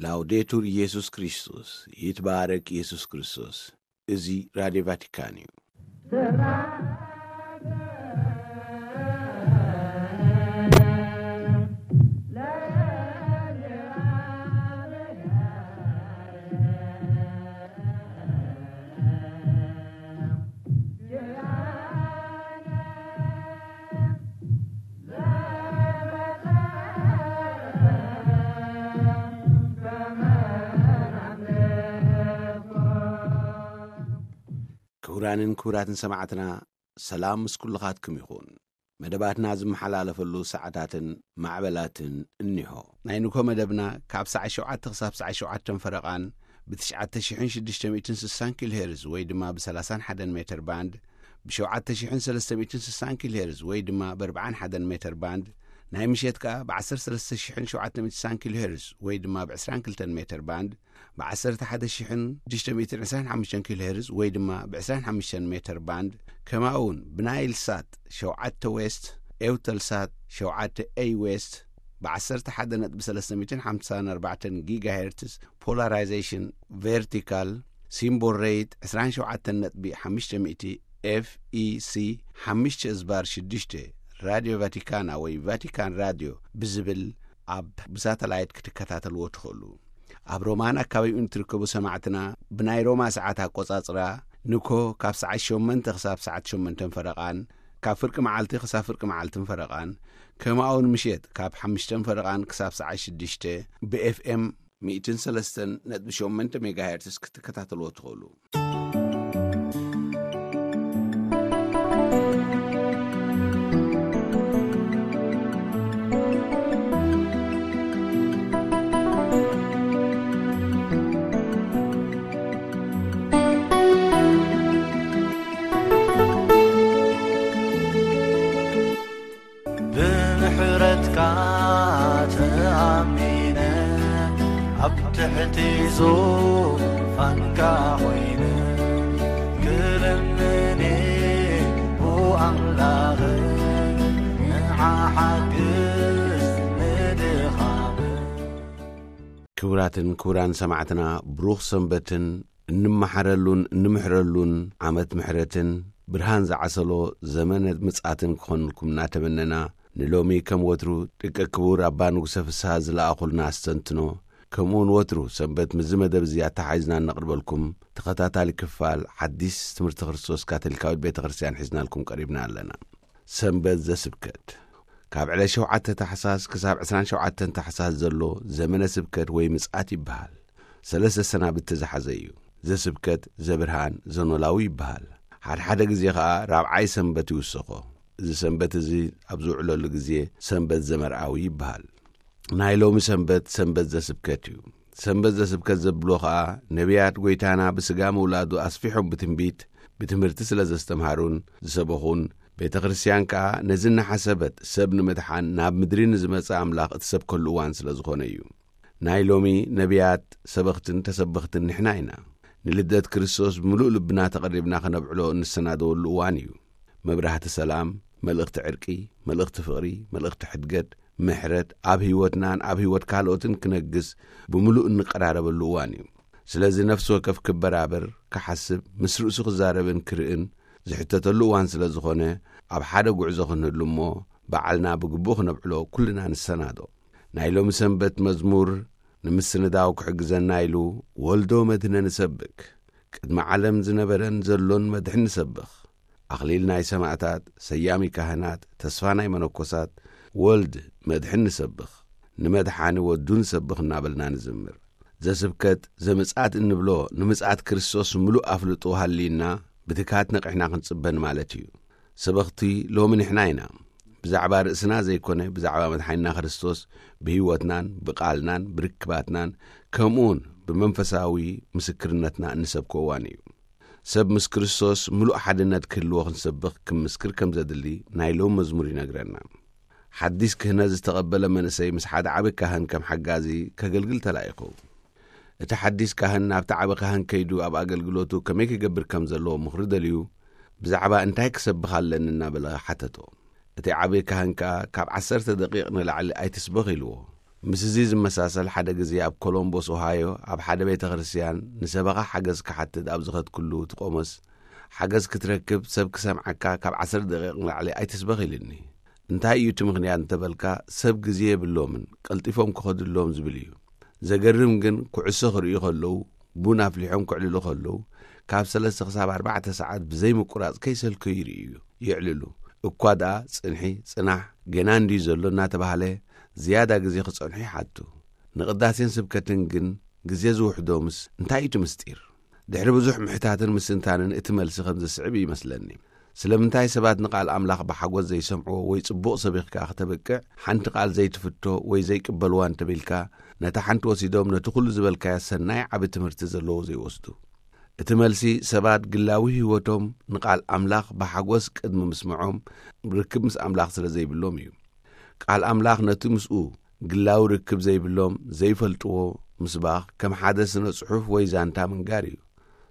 ላውዴቱር ኢየሱስ ክርስቶስ፣ ይትባረክ ኢየሱስ ክርስቶስ። እዚ ራድዮ ቫቲካን እዩ። ክቡራንን ክቡራትን ሰማዕትና፣ ሰላም ምስ ኩልኻትኩም ይኹን። መደባትና ዝመሓላለፈሉ ሰዓታትን ማዕበላትን እኒሆ። ናይ ንኮ መደብና ካብ ሰዓት ሸውዓተ ክሳብ ሰዓት ሸውዓተ ፈረቓን ብ ትሽዓተ ሽሕን ሽዱሽተ ሚእትን ስሳን ኪሎ ሄርዝ ወይ ድማ ብ ሰላሳን ሓደን ሜትር ባንድ፣ ብ ሸውዓተ ሽሕን ሰለስተ ሚእትን ስሳን ኪሎ ሄርዝ ወይ ድማ ብ ኣርባዓን ሓደን ሜትር ባንድ፣ ናይ ምሸት ከኣ ብ ዓሰርተ ሰለስተ ሽሕን ሸውዓተ ሚእትን ስሳን ኪሎ ሄርዝ ወይ ድማ ብ ዕስራን ክልተን ሜትር ባንድ፣ ብ ዓሰርተ ሓደ ሽሕን ሽዱሽተ ሚእትን ዕስራን ሓሙሽተን ኪሎ ሄርዝ ወይ ድማ ብ ዕስራን ሓሙሽተን ሜትር ባንድ፣ ከምኡ እውን ብናይል ሳት ሸውዓተ ዌስት፣ ኤውተል ሳት ሸውዓተ ኤይ ዌስት፣ ብ ዓሰርተ ሓደ ነጥቢ ሰለስተ ሚእትን ሓምሳን ኣርባዕተን ጊጋ ሄርትዝ ፖላራይዜሽን ቨርቲካል፣ ሲምቦል ሬት ዕስራን ሸውዓተን ነጥቢ ሓሙሽተ ሚእቲ ኤፍ ኢ ሲ ሓሙሽተ እዝባር ሽዱሽተ፣ ራድዮ ቫቲካና ወይ ቫቲካን ራድዮ ብዝብል ኣብ ብሳተላይት ክትከታተልዎ ትኽእሉ። ኣብ ሮማን ኣካባቢኡን ትርከቡ ሰማዕትና፣ ብናይ ሮማ ሰዓት ኣቆጻጽራ፣ ንኮ ካብ ሰዓት ሸሞንተ ክሳብ ሰዓት ሸሞንተን ፈረቓን፣ ካብ ፍርቂ መዓልቲ ክሳብ ፍርቂ መዓልትን ፈረቓን፣ ከምኡ እውን ምሸት ካብ ሓሙሽተን ፈረቓን ክሳብ ሰዓት ሽዱሽተ፣ ብ ኤፍ ኤም ሚእትን ሰለስተን ነጥቢ ሸሞንተ ሜጋሄርትስ ክትከታተልዎ ትኽእሉ። ብምሕረትካ ተኣሚነ፣ ኣብ ትሕቲ ዙፋንካ ኮይነ፣ ክልምን ብኣምላኽ ንዓ ሓግዝ ንድኻም። ክቡራትን ክቡራን ሰማዕትና፣ ብሩኽ ሰንበትን እንመሓረሉን እንምሕረሉን ዓመት ምሕረትን ብርሃን ዝዓሰሎ ዘመነ ምጽኣትን ክኾንልኩም እናተመነና፣ ንሎሚ ከም ወትሩ ደቂ ክቡር ኣባ ንጉሰ ፍስሃ ዝለኣኹልና ኣስተንትኖ፣ ከምኡውን ወትሩ ሰንበት ምስዚ መደብ እዚ ኣተሓሒዝና እነቕርበልኩም ተኸታታሊ ክፋል ሓዲስ ትምህርቲ ክርስቶስ ካቶሊካዊት ቤተ ክርስቲያን ሒዝናልኩም ቀሪብና ኣለና። ሰንበት ዘስብከት። ካብ ዕለት ሸውዓተ ታሕሳስ ክሳብ ዕስራን ሸውዓተን ታሕሳስ ዘሎ ዘመነ ስብከት ወይ ምጽኣት ይበሃል። ሰለስተ ሰናብቲ ዝሓዘ እዩ። ዘስብከት፣ ዘብርሃን፣ ዘኖላዊ ይበሃል። ሓድሓደ ግዜ ኸኣ ራብዓይ ሰንበት ይውሰኾ። እዚ ሰንበት እዚ ኣብ ዝውዕለሉ ግዜ ሰንበት ዘመርኣዊ ይበሃል። ናይ ሎሚ ሰንበት፣ ሰንበት ዘስብከት እዩ። ሰንበት ዘስብከት ዘብሎ ኸኣ፣ ነቢያት ጐይታና ብስጋ ምውላዱ ኣስፊሖም ብትንቢት፣ ብትምህርቲ ስለ ዘስተምሃሩን ዝሰበኹን፣ ቤተ ክርስቲያን ከኣ ነዚ እናሓሰበት ሰብ ንምድሓን ናብ ምድሪ ንዝመጸ ኣምላኽ እትሰብከሉ እዋን ስለ ዝኾነ እዩ። ናይ ሎሚ ነቢያት፣ ሰበኽትን ተሰበኽትን ንሕና ኢና። ንልደት ክርስቶስ ብምሉእ ልብና ተቐሪብና ከነብዕሎ እንሰናደወሉ እዋን እዩ። መብራህቲ ሰላም፣ መልእኽቲ ዕርቂ፣ መልእኽቲ ፍቕሪ፣ መልእኽቲ ሕድገት፣ ምሕረት ኣብ ህይወትናን ኣብ ህይወት ካልኦትን ክነግስ ብምሉእ እንቀራረበሉ እዋን እዩ። ስለዚ ነፍሲ ወከፍ ክበራበር፣ ክሓስብ፣ ምስ ርእሱ ክዛረብን ክርእን ዝሕተተሉ እዋን ስለ ዝኾነ፣ ኣብ ሓደ ጉዕዞ ክንህሉ እሞ፣ በዓልና ብግቡእ ክነብዕሎ ኩልና ንሰናዶ። ናይ ሎሚ ሰንበት መዝሙር ንምስንዳው ክሕግዘና ኢሉ፣ "ወልዶ መድህነ ንሰብክ፣ ቅድሚ ዓለም ዝነበረን ዘሎን መድሕን ንሰብኽ፣ ኣኽሊል ናይ ሰማእታት፣ ሰያሚ ካህናት፣ ተስፋ ናይ መነኮሳት፣ ወልድ መድሕን ንሰብኽ፣ ንመድሓኒ ወዱ ንሰብኽ" እናበልና ንዝምር። ዘስብከት፣ ዘምጽኣት እንብሎ፣ ንምጽኣት ክርስቶስ ምሉእ ኣፍልጦ ሃልዩና፣ ብትግሃት ነቒሕና ክንጽበ ንማለት እዩ። ሰበኽቲ ሎሚ ንሕና ኢና። ብዛዕባ ርእስና ዘይኮነ፣ ብዛዕባ መድሓኒና ክርስቶስ ብህይወትናን ብቓልናን ብርክባትናን ከምኡውን ብመንፈሳዊ ምስክርነትና እንሰብኮ እዋን እዩ። ሰብ ምስ ክርስቶስ ምሉእ ሓድነት ክህልዎ ክንሰብኽ፣ ክምስክር ከም ዘድሊ ናይ ሎም መዝሙር ይነግረና። ሓዲስ ክህነት ዝተቐበለ መንእሰይ ምስ ሓደ ዓቢ ካህን ከም ሓጋዚ ከገልግል ተላኢኹ። እቲ ሓዲስ ካህን ናብቲ ዓቢ ካህን ከይዱ ኣብ ኣገልግሎቱ ከመይ ክገብር ከም ዘለዎ ምኽሪ ደልዩ፣ ብዛዕባ እንታይ ክሰብኽ ኣለኒ እናበለ ሓተቶ። እቲ ዓቢ ካህን ከኣ፣ "ካብ ዓሰርተ ደቂቕ ንላዕሊ ኣይትስበኽ" ኢልዎ። ምስ እዚ ዝመሳሰል፣ ሓደ ግዜ ኣብ ኮሎምቦስ ኦሃዮ ኣብ ሓደ ቤተ ክርስቲያን ንሰበኻ ሓገዝ ክሓትት ኣብ ዝኸድኩሉ፣ እቲ ቆሞስ ሓገዝ ክትረክብ ሰብ ክሰምዓካ ካብ ዓሰርተ ደቂቕ ንላዕሊ ኣይትስበኽ ኢልኒ። እንታይ እዩ እቲ ምኽንያት እንተበልካ፣ ሰብ ግዜ የብሎምን፣ ቀልጢፎም ክኸዱ ኣለዎም ዝብል እዩ። ዘገርም ግን፣ ኩዕሶ ክርእዩ ከለዉ፣ ቡን ኣፍሊሖም ክዕልሉ ከለዉ፣ ካብ ሰለስተ ክሳብ ኣርባዕተ ሰዓት ብዘይ ምቁራጽ ከይሰልከዩ ይርእዩ፣ የዕልሉ። እኳ ደኣ ጽንሒ፣ ጽናሕ፣ ገና እንድዩ ዘሎ እናተባህለ ዝያዳ ግዜ ክጸንሑ ይሓቱ። ንቕዳሴን ስብከትን ግን ግዜ ዝውሕዶምስ እንታይ እዩ እቲ ምስጢር? ድሕሪ ብዙሕ ምሕታትን ምስትንታንን እቲ መልሲ ከም ዝስዕብ ይመስለኒ። ስለምንታይ ሰባት ንቓል ኣምላኽ ብሓጎስ ዘይሰምዕዎ ወይ ጽቡቕ ሰቢኽካ ከተብቅዕ ሓንቲ ቃል ዘይትፍቶ ወይ ዘይቅበልዋ እንተቢልካ፣ ነታ ሓንቲ ወሲዶም ነቲ ኩሉ ዝበልካዮ ሰናይ ዓቢ ትምህርቲ ዘለዎ ዘይወስዱ? እቲ መልሲ ሰባት ግላዊ ህይወቶም ንቓል ኣምላኽ ብሓጎስ ቅድሚ ምስምዖም ርክብ ምስ ኣምላኽ ስለ ዘይብሎም እዩ። ቃል ኣምላኽ ነቲ ምስኡ ግላዊ ርክብ ዘይብሎም ዘይፈልጥዎ ምስባኽ ከም ሓደ ስነ ጽሑፍ ወይ ዛንታ ምንጋር እዩ።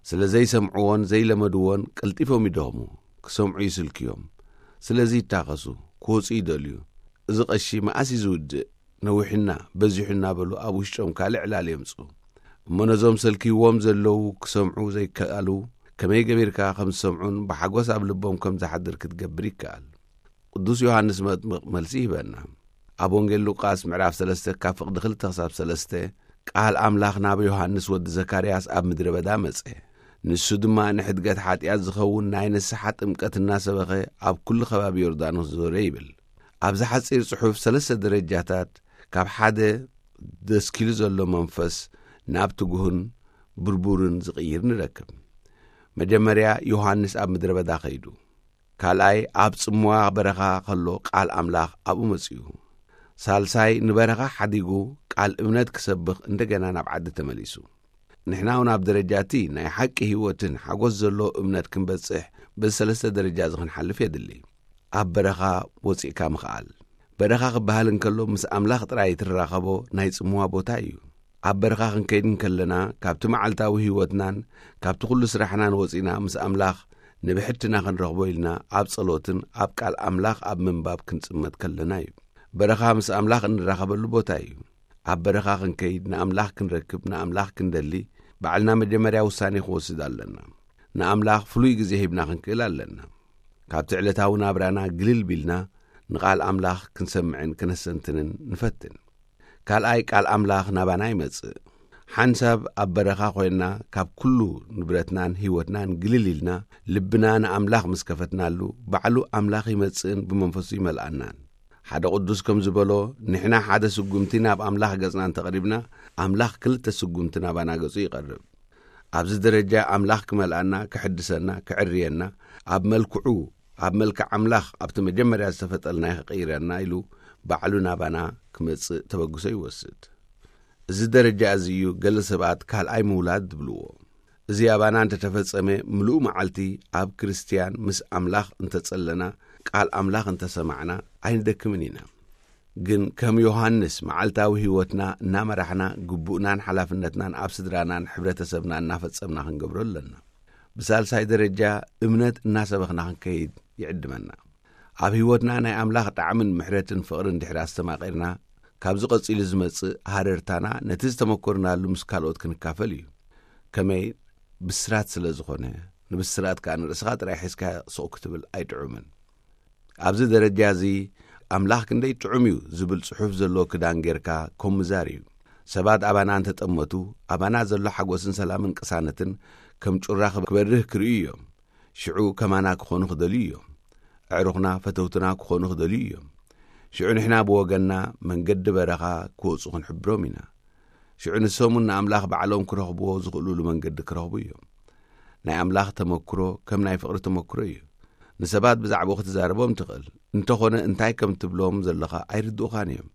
ስለ ዘይሰምዕዎን ዘይለመድዎን ቀልጢፎም ይደኽሙ፣ ክሰምዑ ይስልክዮም። ስለዚ ይታኸሱ፣ ክወጹ ይደልዩ። እዚ ቀሺ መኣስ እዩ ዝውድእ? ነዊሑና፣ በዚሑ እናበሉ ኣብ ውሽጦም ካልእ ዕላል የምጽኡ። እሞ ነዞም ሰልክይዎም ዘለዉ ክሰምዑ ዘይከኣሉ ከመይ ገቢርካ ከም ዝሰምዑን ብሓጎስ ኣብ ልቦም ከም ዝሓድር ክትገብር ይከኣል። ቅዱስ ዮሃንስ መጥምቕ መልሲ ይህበና። ኣብ ወንጌል ሉቃስ ምዕራፍ ሰለስተ ካብ ፍቕዲ ክልተ ክሳብ ሰለስተ፣ ቃል ኣምላኽ ናብ ዮሃንስ ወዲ ዘካርያስ ኣብ ምድረ በዳ መጸ። ንሱ ድማ ንሕድገት ሓጢኣት ዝኸውን ናይ ንስሓ ጥምቀት እናሰበኸ ኣብ ኩሉ ከባቢ ዮርዳኖስ ዞረ ይብል። ኣብዚ ሓጺር ጽሑፍ ሰለስተ ደረጃታት ካብ ሓደ ደስኪሉ ዘሎ መንፈስ ናብ ትጉህን ብርቡርን ዝቕይር ንረክብ። መጀመርያ ዮሃንስ ኣብ ምድረ በዳ ኸይዱ። ካልኣይ ኣብ ጽምዋ በረኻ ኸሎ ቃል ኣምላኽ ኣብኡ መጺኡ። ሳልሳይ ንበረኻ ሓዲጉ ቃል እምነት ክሰብኽ እንደገና ናብ ዓዲ ተመሊሱ። ንሕና እውን ኣብ ደረጃ እቲ ናይ ሓቂ ህይወትን ሓጎስ ዘሎ እምነት ክንበጽሕ በዚ ሰለስተ ደረጃ እዚ ክንሓልፍ የድሊ። ኣብ በረኻ ወጺእካ ምኽኣል። በረኻ ክበሃል እንከሎ ምስ ኣምላኽ ጥራይ እትራኸቦ ናይ ጽምዋ ቦታ እዩ። ኣብ በረኻ ክንከይድ እንከለና ካብቲ መዓልታዊ ህይወትናን ካብቲ ኩሉ ስራሕናን ወጺና ምስ ኣምላኽ ንብሕትና ክንረኽቦ ኢልና ኣብ ጸሎትን ኣብ ቃል ኣምላኽ ኣብ ምንባብ ክንጽመት ከለና እዩ። በረኻ ምስ ኣምላኽ እንራኸበሉ ቦታ እዩ። ኣብ በረኻ ክንከይድ ንኣምላኽ ክንረክብ ንኣምላኽ ክንደሊ ባዕልና መጀመርያ ውሳኔ ክወስድ ኣለና። ንኣምላኽ ፍሉይ ግዜ ሂብና ክንክእል ኣለና። ካብቲ ዕለታዊ ናብራና ግልል ቢልና ንቓል ኣምላኽ ክንሰምዕን ክነሰንትንን ንፈትን። ካልኣይ ቃል ኣምላኽ ናባና ይመጽእ። ሓንሳብ ኣብ በረኻ ኮይንና ካብ ኩሉ ንብረትናን ህይወትናን ግልል ኢልና ልብና ንኣምላኽ ምስ ከፈትናሉ ባዕሉ ኣምላኽ ይመጽእን ብመንፈሱ ይመልኣናን። ሓደ ቅዱስ ከም ዝበሎ፣ ንሕና ሓደ ስጉምቲ ናብ ኣምላኽ ገጽና እንተቐሪብና ኣምላኽ ክልተ ስጉምቲ ናባና ገጹ ይቐርብ። ኣብዚ ደረጃ ኣምላኽ ክመልኣና፣ ክሕድሰና፣ ክዕርየና፣ ኣብ መልክዑ ኣብ መልክዕ ኣምላኽ ኣብቲ መጀመርያ ዝተፈጠልናዮ ክቕይረና ኢሉ ባዕሉ ናባና ክመጽእ ተበግሶ ይወስድ። እዚ ደረጃ እዚ እዩ ገለ ሰባት ካልኣይ ምውላድ ዝብልዎ። እዚ ኣባና እንተተፈጸመ ምሉእ መዓልቲ ኣብ ክርስትያን ምስ ኣምላኽ እንተጸለና ቃል ኣምላኽ እንተሰማዕና ኣይንደክምን ኢና። ግን ከም ዮሃንስ መዓልታዊ ህይወትና እናመራሕና ግቡእናን ሓላፍነትናን ኣብ ስድራናን ሕብረተሰብና እናፈጸምና ክንገብሮ ኣለና። ብሳልሳይ ደረጃ እምነት እናሰበኽና ክንከይድ ይዕድመና። ኣብ ህይወትና ናይ ኣምላኽ ጣዕምን ምሕረትን ፍቕርን ድሕሪ ኣስተማቒርና ካብዚ ቀጺሉ ዝመጽእ ሃረርታና ነቲ ዝተመኮርናሉ ምስ ካልኦት ክንካፈል እዩ። ከመይ ብስራት ስለ ዝኾነ፣ ንብስራት ከኣ ንርእስኻ ጥራይ ሒዝካ ስቕ ክትብል ኣይጥዑምን። ኣብዚ ደረጃ እዚ ኣምላኽ ክንደይ ጥዑም እዩ ዝብል ጽሑፍ ዘለዎ ክዳን ጌርካ ኮምዛር እዩ። ሰባት ኣባና እንተጠመቱ ኣባና ዘሎ ሓጎስን ሰላምን ቅሳነትን ከም ጩራ ክበርህ ክርእዩ እዮም። ሽዑ ከማና ክኾኑ ክደልዩ እዮም። ኣዕሩኽና ፈተውትና ክኾኑ ክደልዩ እዮም። ሽዑ ንሕና ብወገንና መንገዲ በረኻ ክወጹ ክንሕብሮም ኢና። ሽዑ ንሶም እውን ንኣምላኽ ባዕሎም ክረኽብዎ ዝኽእሉሉ መንገዲ ክረኽቡ እዮም። ናይ ኣምላኽ ተመክሮ ከም ናይ ፍቕሪ ተመክሮ እዩ። ንሰባት ብዛዕባኡ ክትዛረቦም ትኽእል እንተኾነ እንታይ ከም ትብሎም ዘለኻ ኣይርድኡኻን እዮም።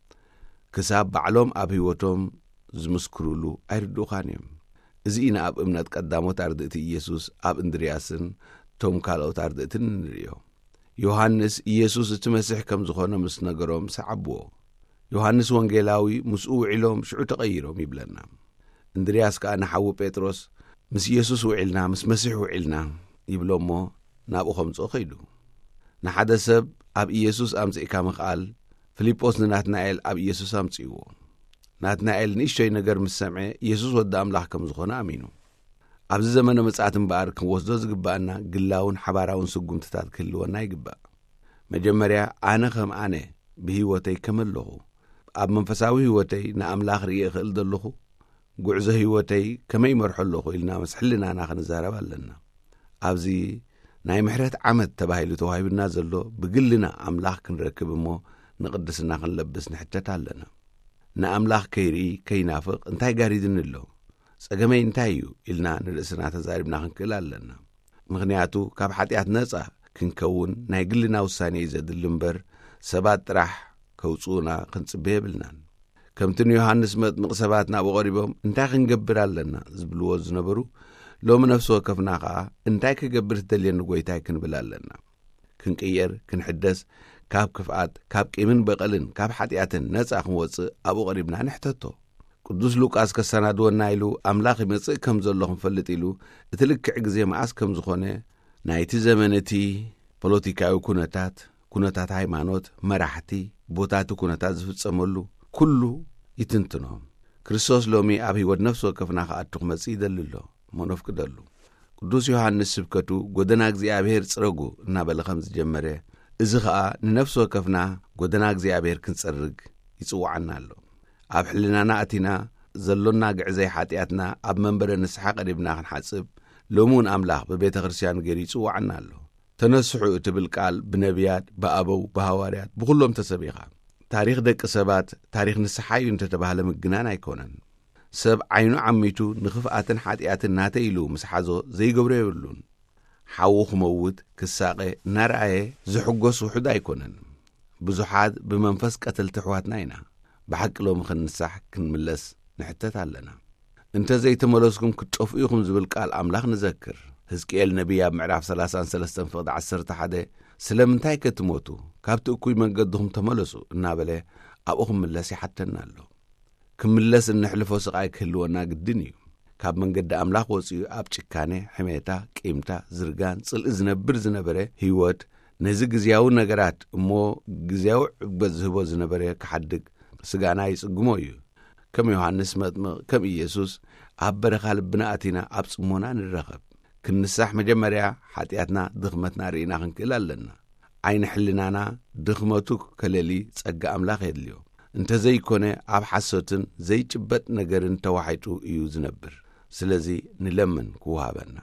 ክሳብ ባዕሎም ኣብ ህይወቶም ዝምስክሩሉ ኣይርድኡኻን እዮም። እዚ ኢና ኣብ እምነት ቀዳሞት ኣርድእቲ ኢየሱስ ኣብ እንድርያስን ቶም ካልኦት ኣርድእትን እንርእዮ። ዮሃንስ ኢየሱስ እቲ መሲሕ ከም ዝኾነ ምስ ነገሮም ሰዓብዎ። ዮሃንስ ወንጌላዊ ምስኡ ውዒሎም ሽዑ ተቐይሮም ይብለና። እንድርያስ ከኣ ንሓዉ ጴጥሮስ ምስ ኢየሱስ ውዒልና ምስ መሲሕ ውዒልና ይብሎ እሞ ናብኡ ከምጽኦ ኸይዱ። ንሓደ ሰብ ኣብ ኢየሱስ ኣምጺእካ ምኽኣል ፊልጶስ ንናትናኤል ኣብ ኢየሱስ ኣምጺእዎ። ናትናኤል ንእሽቶይ ነገር ምስ ሰምዐ፣ ኢየሱስ ወዲ ኣምላኽ ከም ዝኾነ ኣሚኑ። ኣብዚ ዘመነ ምጽኣት እምበኣር፣ ክንወስዶ ዝግባኣና ግላውን ሓባራውን ስጉምትታት ክህልወና ይግባእ። መጀመርያ፣ ኣነ ከም ኣነ ብህይወተይ ከመይ ኣለኹ? ኣብ መንፈሳዊ ህይወተይ ንኣምላኽ ርእየ እኽእል ዘለኹ? ጉዕዞ ህይወተይ ከመይ ይመርሖ ኣለኹ? ኢልና ምስ ሕልናና ክንዛረብ ኣለና። ኣብዚ ናይ ምሕረት ዓመት ተባሂሉ ተዋሂቡና ዘሎ፣ ብግልና ኣምላኽ ክንረክብ እሞ ንቕድስና ክንለብስ ንሕተት ኣለና። ንኣምላኽ ከይርኢ ከይናፍቕ እንታይ ጋሪድኒ ኣሎ? ጸገመይ እንታይ እዩ? ኢልና ንርእስና ተዛሪብና ክንክእል ኣለና። ምኽንያቱ፣ ካብ ሓጢኣት ነጻ ክንከውን ናይ ግልና ውሳኔ እዩ ዘድሊ እምበር፣ ሰባት ጥራሕ ከውጽኡና ክንጽበ የብልናን። ከምቲ ንዮሃንስ መጥምቕ ሰባት ናብኡ ቀሪቦም፣ "እንታይ ክንገብር ኣለና?" ዝብልዎ ዝነበሩ፣ ሎሚ ነፍሲ ወከፍና ኸኣ፣ "እንታይ ክገብር ትደልየኒ ጐይታይ?" ክንብል ኣለና። ክንቅየር፣ ክንሕደስ፣ ካብ ክፍኣት፣ ካብ ቂምን በቐልን፣ ካብ ሓጢኣትን ነጻ ክንወጽእ ኣብኡ ቀሪብና ንሕተቶ። ቅዱስ ሉቃስ ከሰናድወና ኢሉ፣ ኣምላኽ ይመጽእ ከም ዘሎ ክንፈልጥ ኢሉ፣ እቲ ልክዕ ግዜ መኣስ ከም ዝኾነ፣ ናይቲ ዘመን እቲ ፖለቲካዊ ኩነታት፣ ኩነታት ሃይማኖት፣ መራሕቲ፣ ቦታ እቲ ኩነታት ዝፍጸመሉ፣ ኩሉ ይትንትኖ። ክርስቶስ ሎሚ ኣብ ህይወት ነፍሲ ወከፍና ክኣቱ ክመጽእ ይደሊ ኣሎ። እሞ ነፍቅደሉ። ቅዱስ ዮሃንስ ስብከቱ "ጎደና እግዚኣብሔር ጽረጉ" እናበለ ከም ዝጀመረ፣ እዚ ኸኣ ንነፍሲ ወከፍና ጎደና እግዚኣብሔር ክንጸርግ ይጽውዓና ኣሎ። ኣብ ሕልናና ኣቲና ዘሎና ግዕዘይ ሓጢኣትና ኣብ መንበረ ንስሓ ቀሪብና ክንሓጽብ፣ ሎሚ እውን ኣምላኽ ብቤተ ክርስቲያኑ ገይሩ ይጽውዓና ኣሎ። "ተነስሑ" እትብል ቃል ብነቢያት፣ ብኣበው፣ ብሃዋርያት፣ ብኹሎም ተሰቢኻ። ታሪኽ ደቂ ሰባት ታሪኽ ንስሓ እዩ እንተተባህለ ምግናን ኣይኮነን። ሰብ ዓይኑ ዓሚቱ ንኽፍኣትን ሓጢኣትን ናተይ ኢሉ ምስ ሓዞ ዘይገብሮ የብሉን። ሓዉ ክመውት፣ ክሳቐ እናረኣየ ዝሕጎስ ውሑድ ኣይኮነን። ብዙሓት ብመንፈስ ቀተልቲ ኣሕዋትና ኢና። ብሓቂ ሎሚ ክንንሳሕ ክንምለስ ንሕተት ኣለና። "እንተ ዘይተመለስኩም ክትጠፍኡ ኢኹም" ዝብል ቃል ኣምላኽ ንዘክር። ሕዝቅኤል ነቢይ ኣብ ምዕራፍ ሰላሳን ሰለስተን ፍቕዲ ዓሰርተ ሓደ፣ "ስለምንታይ ከ ትሞቱ? ካብቲ እኩይ መንገድኹም ተመለሱ" እናበለ ኣብኡ ክምለስ ይሓተና ኣሎ። ክምለስ እነሕልፎ ስቓይ ክህልወና ግድን እዩ። ካብ መንገዲ ኣምላኽ ወጺኡ ኣብ ጭካኔ፣ ሕሜታ፣ ቂምታ፣ ዝርጋን፣ ጽልኢ ዝነብር ዝነበረ ህይወት፣ ነዚ ግዝያዊ ነገራት እሞ ግዝያዊ ዕግበት ዝህቦ ዝነበረ ክሓድግ ስጋና ይጽግሞ እዩ። ከም ዮሃንስ መጥምቕ፣ ከም ኢየሱስ ኣብ በረኻ ልብና ኣቲና ኣብ ጽሞና ንረኸብ። ክንንሳሕ መጀመርያ ሓጢኣትና፣ ድኽመትና ርኢና ክንክእል ኣለና። ዓይኒ ሕልናና ድኽመቱ ከለሊ ጸጋ ኣምላኽ የድልዮ። እንተዘይኮነ ኣብ ሓሶትን ዘይጭበጥ ነገርን ተዋሒጡ እዩ ዝነብር። ስለዚ ንለምን ክወሃበና።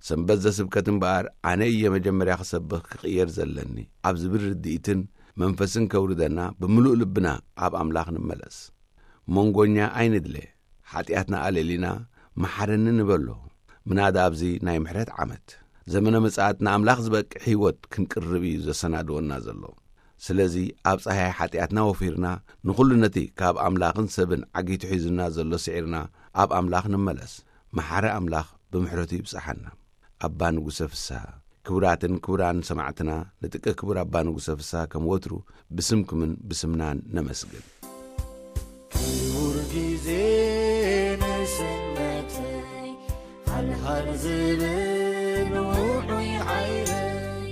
ሰንበት ዘስብከት እምበኣር ኣነ እየ መጀመርያ ክሰብኽ ክቕየር ዘለኒ ኣብ ዝብል ርድኢትን መንፈስን ከውርደና ብምሉእ ልብና ኣብ ኣምላኽ ንመለስ። መንጎኛ ኣይንድለ። ሓጢኣትና ኣለሊና መሓረኒ ንበሎ። ምናዳ ኣብዚ ናይ ምሕረት ዓመት ዘመነ ምጽኣት ንኣምላኽ ዝበቅዕ ህይወት ክንቅርብ እዩ ዘሰናድወና ዘሎ። ስለዚ ኣብ ጸሃይ ሓጢኣትና ወፊርና ንኹሉ ነቲ ካብ ኣምላኽን ሰብን ዓጊቱ ሒዙና ዘሎ ስዒርና ኣብ ኣምላኽ ንመለስ። መሓሪ ኣምላኽ ብምሕረቱ ይብጽሓና። ኣባ ንጉሰ ፍስሃ። ክቡራትን ክቡራን ሰማዕትና፣ ንጥቀ ክቡር ኣባ ንጉሰ ፍስሃ ከም ወትሩ ብስምኩምን ብስምናን ነመስግን። ክቡር ግዜ ንስነተይ፣ ሃልሃል ዝብል ውዑይ ሓይለይ፣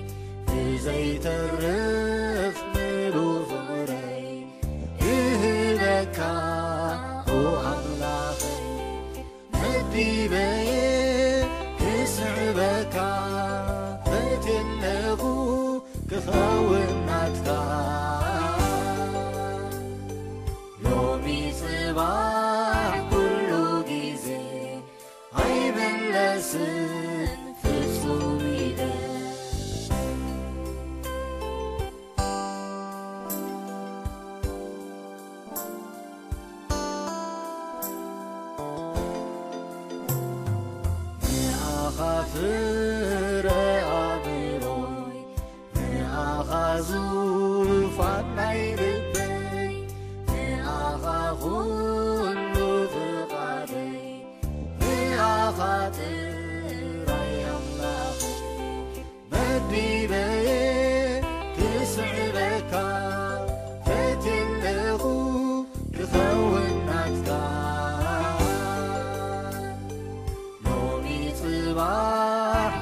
ብዘይተርፍ ምሉእ ፍቕረይ እህበካ፣ ኦ ኣምላኸይ። መዲበየ ክስዕበካ ፈትየለኹ ክኸውን ናትካ። ሎሚ ጽባሕ ኩሉ ግዜ ኣይምለስን ፍጹም ኢለ። ንኣኻ ፍረ ኣእምሮይ፣ ንኣኻ ዙፋን ናይ ልበይ፣ ንኣኻ ኩሉ ፍቓደይ፣ ንኣኻ ጥራይ ኣምላኸይ። መዲበየ ክስዕበካ ፈትየለኹ ክኸውን ናትካ። ሎሚ ጽባሕ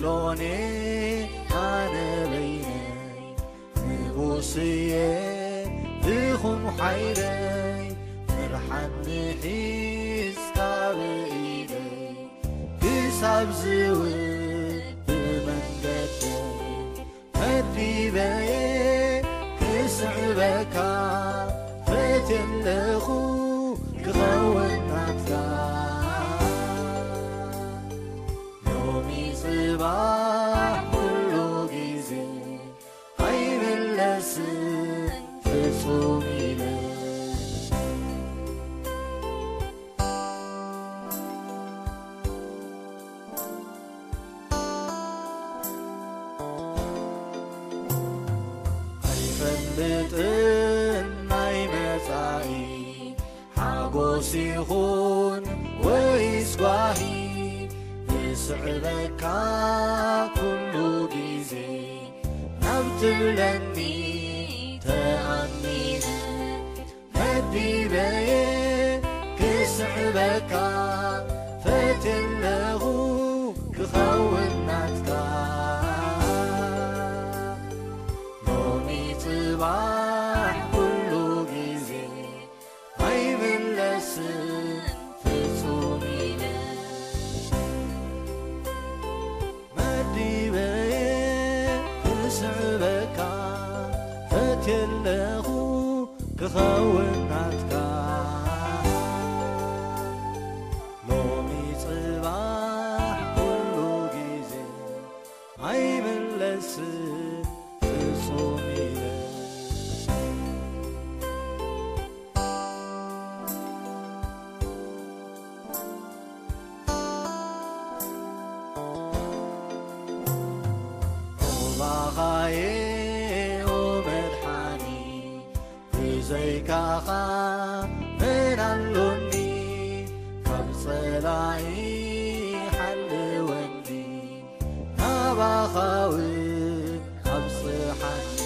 ኦኔ ኣነ በይነይ ንጉስየ ትኹን ሓይለይ፣ ፍርሓት ንሒዝካ ብኢደይ ክሳብ ዝውብ መንገደይ መዲበየ ክስዕበካ ፈትየ ኣለኹ ክኸውን ናትካ። ሎሚ ጽባሕ ኩሉ ግዜ ኣይምለስን ፍጹም ኢለ። ኣይፈልጥን ናይ መጻኢ ሓጎስ ይኹን ወይስ ጓሂ፣ ዝስዕበካ ኩሉ ግዜ ናብ ትብለኒ ተኣሚነ መዲበየ ክስዕበካ ፈትየ ኣለኹ ክኸውን ናትካ። ሎሚ ጽባሕ ኩሉ ግዜ ኣይምለስን ፍጹም ኢለ። መዲበየ ክስዕበካ ፈትየ ኣለኹ ክኸውን ናትካ። ሎሚ ጽባሕ ኩሉ ግዜ ኣይምለስን ፍጹም ኢለ። ኦባኻየ ኦ መድሓኒ፣ ብዘይካኻ መን ኣሎኒ? ካብ ጸላኢ ሓልወኒ፣ ናባኻ እውን ኣብጽሓኒ።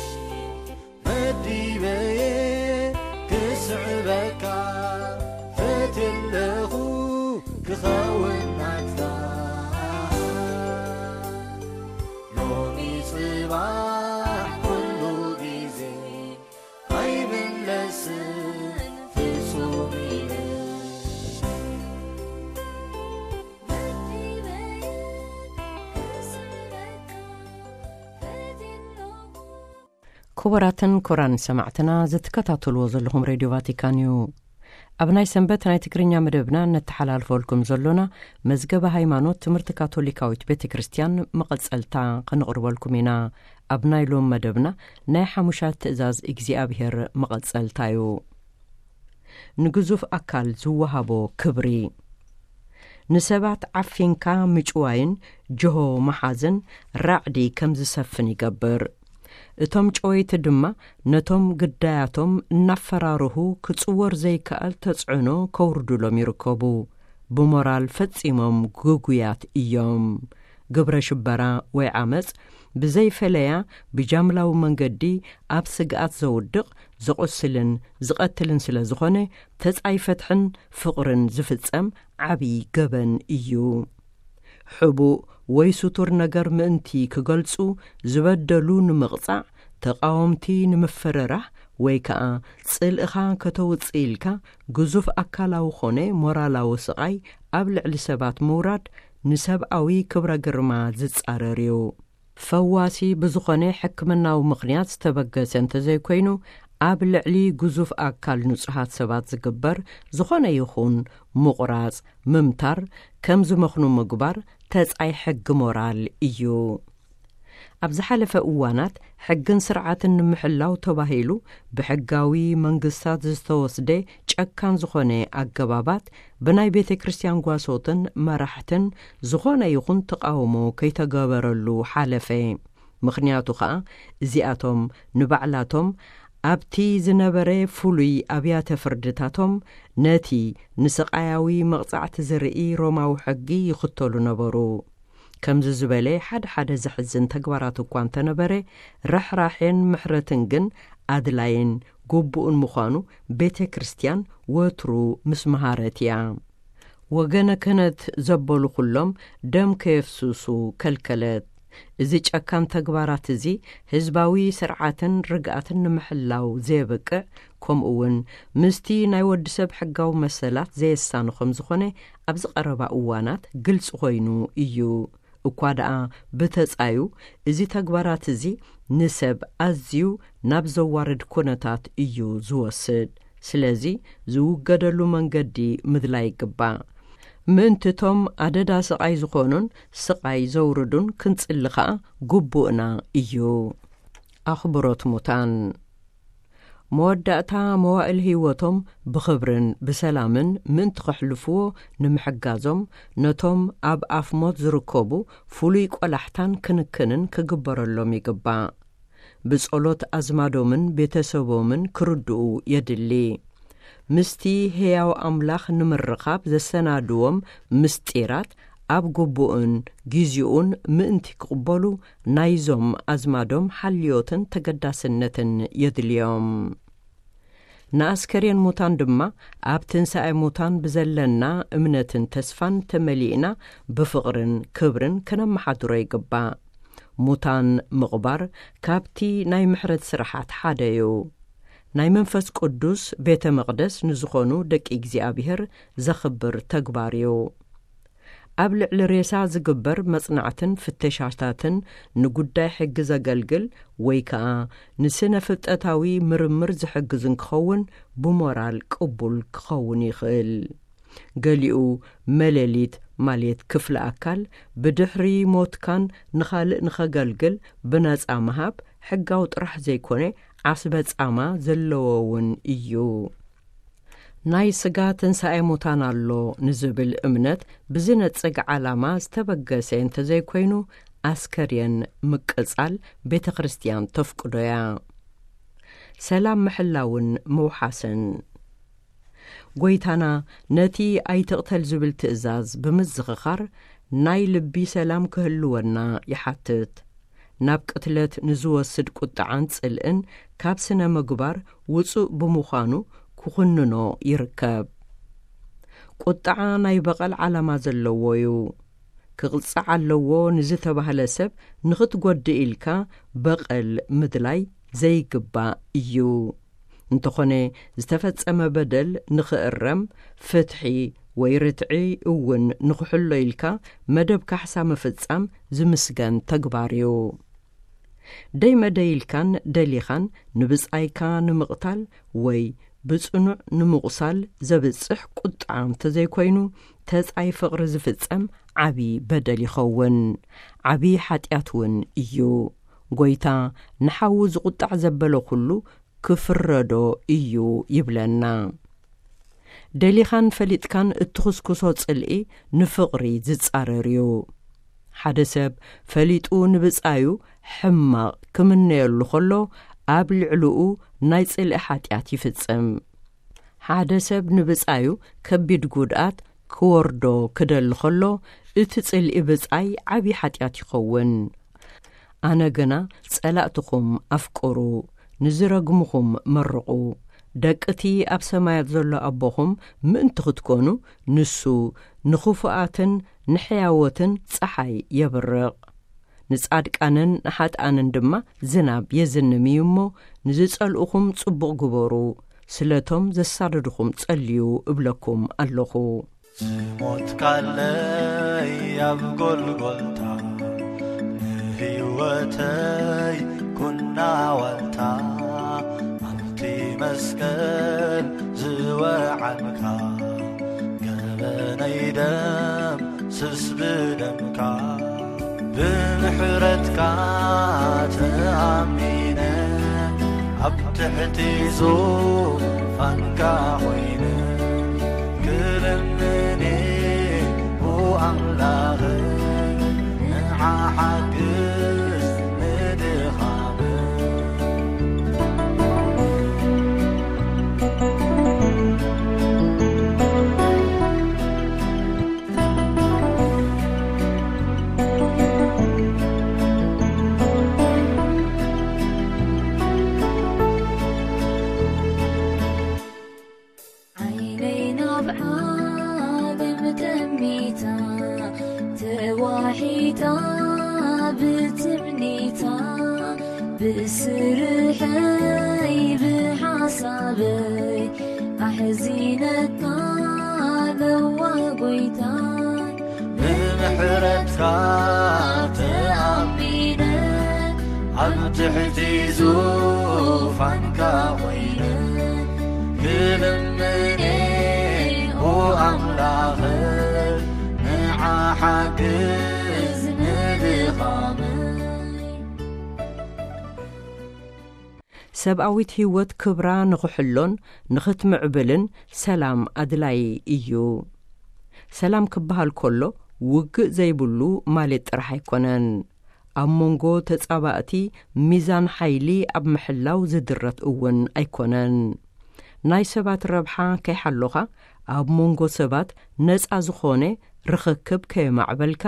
መዲበየ ክስዕበካ ፈትየ ኣለኹ ክኸውን ናትካ። ሎሚ ጽባሕ ኩሉ ግዜ ኣይምለስን ፍጹም ኢለ። መዲበየ ክስዕበካ ፈትየ ኣለኹ። ክቡራትን ክቡራን ሰማዕትና፣ ዝትከታተልዎ ዘለኹም ሬድዮ ቫቲካን እዩ። ኣብ ናይ ሰንበት ናይ ትግርኛ መደብና እነተሓላልፈልኩም ዘሎና መዝገበ ሃይማኖት ትምህርቲ ካቶሊካዊት ቤተ ክርስቲያን መቐጸልታ ከነቕርበልኩም ኢና። ኣብ ናይ ሎም መደብና ናይ ሓሙሻት ትእዛዝ እግዚኣብሔር መቐጸልታ እዩ። ንግዙፍ ኣካል ዝወሃቦ ክብሪ። ንሰባት ዓፊንካ ምጭዋይን ጅሆ መሓዝን ራዕዲ ከም ዝሰፍን ይገብር። እቶም ጨወይቲ ድማ ነቶም ግዳያቶም እናፈራርሁ ክጽወር ዘይከኣል ተጽዕኖ ከውርዱሎም ይርከቡ። ብሞራል ፈጺሞም ግጉያት እዮም። ግብረ ሽበራ ወይ ዓመጽ ብዘይፈለያ ብጃምላዊ መንገዲ ኣብ ስግኣት ዘውድቕ፣ ዘቑስልን ዝቐትልን ስለ ዝኾነ፣ ተጻይ ፍትሕን ፍቕርን ዝፍጸም ዓቢ ገበን እዩ። ሕቡእ ወይ ስቱር ነገር ምእንቲ ክገልጹ፣ ዝበደሉ ንምቕጻዕ፣ ተቓወምቲ ንምፍርራሕ ወይ ከኣ ጽልእኻ ከተውጽእ ኢልካ ግዙፍ ኣካላዊ ኾነ ሞራላዊ ስቓይ ኣብ ልዕሊ ሰባት ምውራድ ንሰብኣዊ ክብረ ግርማ ዝጻረር እዩ። ፈዋሲ ብዝኾነ ሕክምናዊ ምኽንያት ዝተበገሰ እንተዘይኮይኑ፣ ኣብ ልዕሊ ግዙፍ ኣካል ንጹሃት ሰባት ዝግበር ዝኾነ ይኹን ምቑራጽ፣ ምምታር፣ ከም ዝመኽኑ ምግባር ተጻይ ሕጊ ሞራል እዩ። ኣብ ዝሓለፈ እዋናት ሕግን ስርዓትን ንምሕላው ተባሂሉ ብሕጋዊ መንግስታት ዝተወስደ ጨካን ዝኾነ ኣገባባት ብናይ ቤተ ክርስቲያን ጓሶትን መራሕትን ዝኾነ ይኹን ተቓውሞ ከይተገበረሉ ሓለፈ። ምኽንያቱ ኸኣ እዚኣቶም ንባዕላቶም ኣብቲ ዝነበረ ፍሉይ ኣብያተ ፍርድታቶም ነቲ ንስቓያዊ መቕጻዕቲ ዝርኢ ሮማዊ ሕጊ ይኽተሉ ነበሩ። ከምዚ ዝበለ ሓደ ሓደ ዘሕዝን ተግባራት እኳ እንተነበረ፣ ርሕራሕን ምሕረትን ግን ኣድላይን ግቡእን ምዃኑ ቤተ ክርስቲያን ወትሩ ምስ መሃረት እያ። ወገነ ክህነት ዘበሉ ኩሎም ደም ከየፍስሱ ከልከለት። እዚ ጨካን ተግባራት እዚ ህዝባዊ ስርዓትን ርግኣትን ንምሕላው ዘየበቅዕ፣ ከምኡ እውን ምስቲ ናይ ወዲ ሰብ ሕጋዊ መሰላት ዘየሳኑ ከም ዝኾነ ኣብዚ ቀረባ እዋናት ግልጺ ኮይኑ እዩ። እኳ ደኣ ብተጻዩ እዚ ተግባራት እዚ ንሰብ ኣዝዩ ናብ ዘዋርድ ኩነታት እዩ ዝወስድ። ስለዚ ዝውገደሉ መንገዲ ምድላይ ይግባእ። ምእንቲ እቶም ኣደዳ ስቓይ ዝኾኑን ስቓይ ዘውርዱን ክንጽሊ ኸኣ ግቡእና እዩ። ኣኽብሮት ሙታን። መወዳእታ መዋእል ህይወቶም ብኽብርን ብሰላምን ምእንቲ ከሕልፍዎ ንምሕጋዞም፣ ነቶም ኣብ ኣፍ ሞት ዝርከቡ ፍሉይ ቆላሕታን ክንክንን ክግበረሎም ይግባእ። ብጸሎት ኣዝማዶምን ቤተሰቦምን ክርድኡ የድሊ። ምስቲ ህያው ኣምላኽ ንምርኻብ ዘሰናድዎም ምስጢራት ኣብ ግቡእን ግዜኡን ምእንቲ ክቕበሉ፣ ናይዞም ኣዝማዶም ሓልዮትን ተገዳስነትን የድልዮም። ንኣስከሬን ሙታን ድማ ኣብ ትንሳኤ ሙታን ብዘለና እምነትን ተስፋን ተመሊእና ብፍቕርን ክብርን ከነመሓድሮ ይግባእ። ሙታን ምቕባር ካብቲ ናይ ምሕረት ስራሓት ሓደ እዩ። ናይ መንፈስ ቅዱስ ቤተ መቕደስ ንዝኾኑ ደቂ እግዚኣብሔር ዘኽብር ተግባር እዩ። ኣብ ልዕሊ ሬሳ ዝግበር መጽናዕትን ፍተሻታትን ንጉዳይ ሕጊ ዘገልግል ወይ ከኣ ንስነ ፍልጠታዊ ምርምር ዝሕግዝ እንክኸውን ብሞራል ቅቡል ክኸውን ይኽእል። ገሊኡ መለሊት ማለት ክፍለ ኣካል ብድሕሪ ሞትካን ንኻልእ ንኸገልግል ብነጻ ምሃብ ሕጋዊ ጥራሕ ዘይኮነ ዓስበ ጻማ ዘለዎ እውን እዩ። ናይ ስጋ ትንሳኤ ሙታን ኣሎ ንዝብል እምነት ብዝነጽግ ዓላማ ዝተበገሰ እንተዘይኮይኑ ኣስከሬን ምቅጻል ቤተ ክርስቲያን ተፍቅዶ እያ። ሰላም ምሕላውን ምውሓስን። ጎይታና ነቲ ኣይትቕተል ዝብል ትእዛዝ ብምዝኽኻር ናይ ልቢ ሰላም ክህልወና ይሓትት። ናብ ቅትለት ንዝወስድ ቁጥዓን ጽልእን ካብ ስነ ምግባር ውጹእ ብምዃኑ ክኹንኖ ይርከብ። ቁጥዓ ናይ በቐል ዓላማ ዘለዎ እዩ። ክቕጻዕ ኣለዎ ንዝተባህለ ሰብ ንኽትጎድእ ኢልካ በቐል ምድላይ ዘይግባእ እዩ። እንተኾነ ዝተፈጸመ በደል ንኽእረም፣ ፍትሒ ወይ ርትዒ እውን ንኽሕሎ ኢልካ መደብ ካሕሳ ምፍጻም ዝምስገን ተግባር እዩ። ደይ መደይ ኢልካን ደሊኻን ንብጻይካ ንምቕታል ወይ ብጽኑዕ ንምቑሳል ዘብጽሕ ቁጥዓ እንተዘይኮይኑ፣ ተጻይ ፍቕሪ ዝፍጸም ዓቢ በደል ይኸውን። ዓቢ ሓጢኣት እውን እዩ። ጎይታ ንሓዉ ዝቁጣዕ ዘበለ ኩሉ ክፍረዶ እዩ ይብለና። ደሊኻን ፈሊጥካን እትኹስኩሶ ጽልኢ ንፍቕሪ ዝጻረር እዩ። ሓደ ሰብ ፈሊጡ ንብጻዩ ሕማቕ ክምነየሉ ከሎ፣ ኣብ ልዕሊኡ ናይ ጽልኢ ሓጢኣት ይፍጽም። ሓደ ሰብ ንብጻዩ ከቢድ ጉድኣት ክወርዶ ክደሊ ከሎ፣ እቲ ጽልኢ ብጻይ ዓቢ ሓጢኣት ይኸውን። ኣነ ግና ጸላእትኹም ኣፍቅሩ፣ ንዝረግምኹም መርቑ። ደቂ እቲ ኣብ ሰማያት ዘሎ ኣቦኹም ምእንቲ ክትኮኑ፣ ንሱ ንኽፉኣትን ንሕያዎትን ጸሓይ የብርቕ። ንጻድቃንን ንሓጥኣንን ድማ ዝናብ የዝንም እዩ እሞ፣ ንዝጸልኡኹም ጽቡቕ ግበሩ፣ ስለቶም ዘሳድድኹም ጸልዩ እብለኩም ኣለኹ። ዝሞትካለይ ኣብ ጎልጎልታ፣ ንህይወተይ ኩና ዋልታ፣ ኣብቲ መስቀል ዝወዓልካ፣ ገበነይ ደም ስስ ብደምካ፣ ብምሕረትካ ተኣሚነ፣ ኣብ ትሕቲ ዙፋንካ ኮይነ፣ ክልምኒ ኣምላኽ፣ ንዓ ሓግዝ ንድኻም። ዓይነይ ናብ ዓለም ተሚታ፣ ተዋሒጣ ብትምኒታ ብስርሐይ ብሓሳበይ ኣሕዚነካ ለዋ ጎይታ። ብምሕረትካ ተኣሚነ ኣብ ትሕቲ ዙፋንካ ኮይነ ክልምኔ ኦ ኣምላኸ ንዓ ሓግዝ ንድኻመይ። ሰብኣዊት ህይወት ክብራ ንኽሕሎን ንኽትምዕብልን ሰላም ኣድላዪ እዩ። ሰላም ክበሃል ከሎ ውግእ ዘይብሉ ማለት ጥራሕ ኣይኮነን። ኣብ መንጎ ተጻባእቲ ሚዛን ሓይሊ ኣብ ምሕላው ዝድረት እውን ኣይኮነን። ናይ ሰባት ረብሓ ከይሓሎኻ ኣብ መንጎ ሰባት ነጻ ዝኾነ ርኽክብ ከየማዕበልካ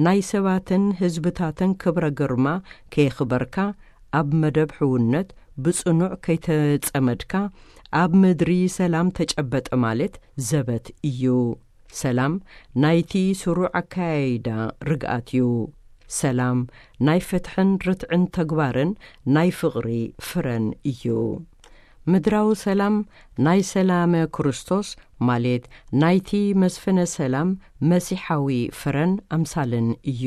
ናይ ሰባትን ህዝብታትን ክብረ ግርማ ከየኽበርካ ኣብ መደብ ሕውነት ብጽኑዕ ከይተጸመድካ ኣብ ምድሪ ሰላም ተጨበጠ ማለት ዘበት እዩ። ሰላም ናይቲ ስሩዕ ኣካያይዳ ርግኣት እዩ። ሰላም ናይ ፍትሕን ርትዕን ተግባርን ናይ ፍቕሪ ፍረን እዩ። ምድራዊ ሰላም ናይ ሰላመ ክርስቶስ ማለት ናይቲ መስፍነ ሰላም መሲሓዊ ፍረን ኣምሳልን እዩ።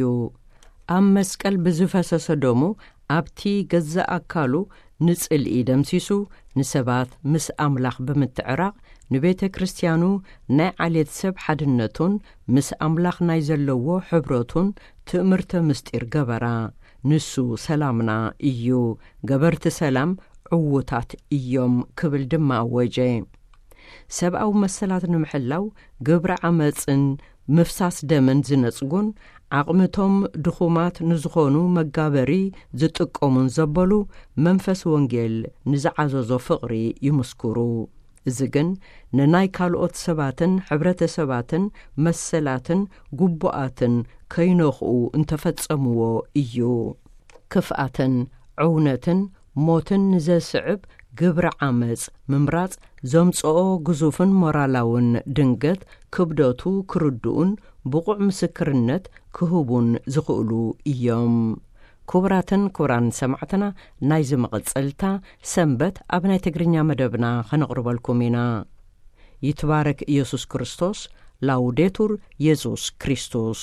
ኣብ መስቀል ብዝፈሰሰ ደሙ ኣብቲ ገዛእ ኣካሉ ንጽልኢ ደምሲሱ ንሰባት ምስ ኣምላኽ ብምትዕራቕ ንቤተ ክርስቲያኑ ናይ ዓሌት ሰብ ሓድነቱን ምስ ኣምላኽ ናይ ዘለዎ ሕብረቱን ትእምርተ ምስጢር ገበራ። ንሱ ሰላምና እዩ። ገበርቲ ሰላም ዕዉታት እዮም ክብል ድማ ኣወጀ። ሰብኣዊ መሰላት ንምሕላው ግብረ ዓመፅን ምፍሳስ ደምን ዝነፅጉን ዓቕምቶም ድኹማት ንዝኾኑ መጋበሪ ዝጥቀሙን ዘበሉ መንፈስ ወንጌል ንዝዓዘዞ ፍቕሪ ይምስክሩ። እዚ ግን ንናይ ካልኦት ሰባትን ሕብረተሰባትን መሰላትን ግቡኣትን ከይነኽኡ እንተፈጸምዎ እዩ። ክፍኣትን ዕውነትን ሞትን ንዘስዕብ ግብረ ዓመጽ ምምራጽ ዘምጽኦ ግዙፍን ሞራላውን ድንገት ክብደቱ ክርድኡን ብቑዕ ምስክርነት ክህቡን ዝኽእሉ እዮም። ክቡራትን ክቡራን ሰማዕትና፣ ናይዚ መቐጸልታ ሰንበት ኣብ ናይ ትግርኛ መደብና ከነቕርበልኩም ኢና። ይትባረክ ኢየሱስ ክርስቶስ። ላውዴቱር ኢየሱስ ክርስቶስ።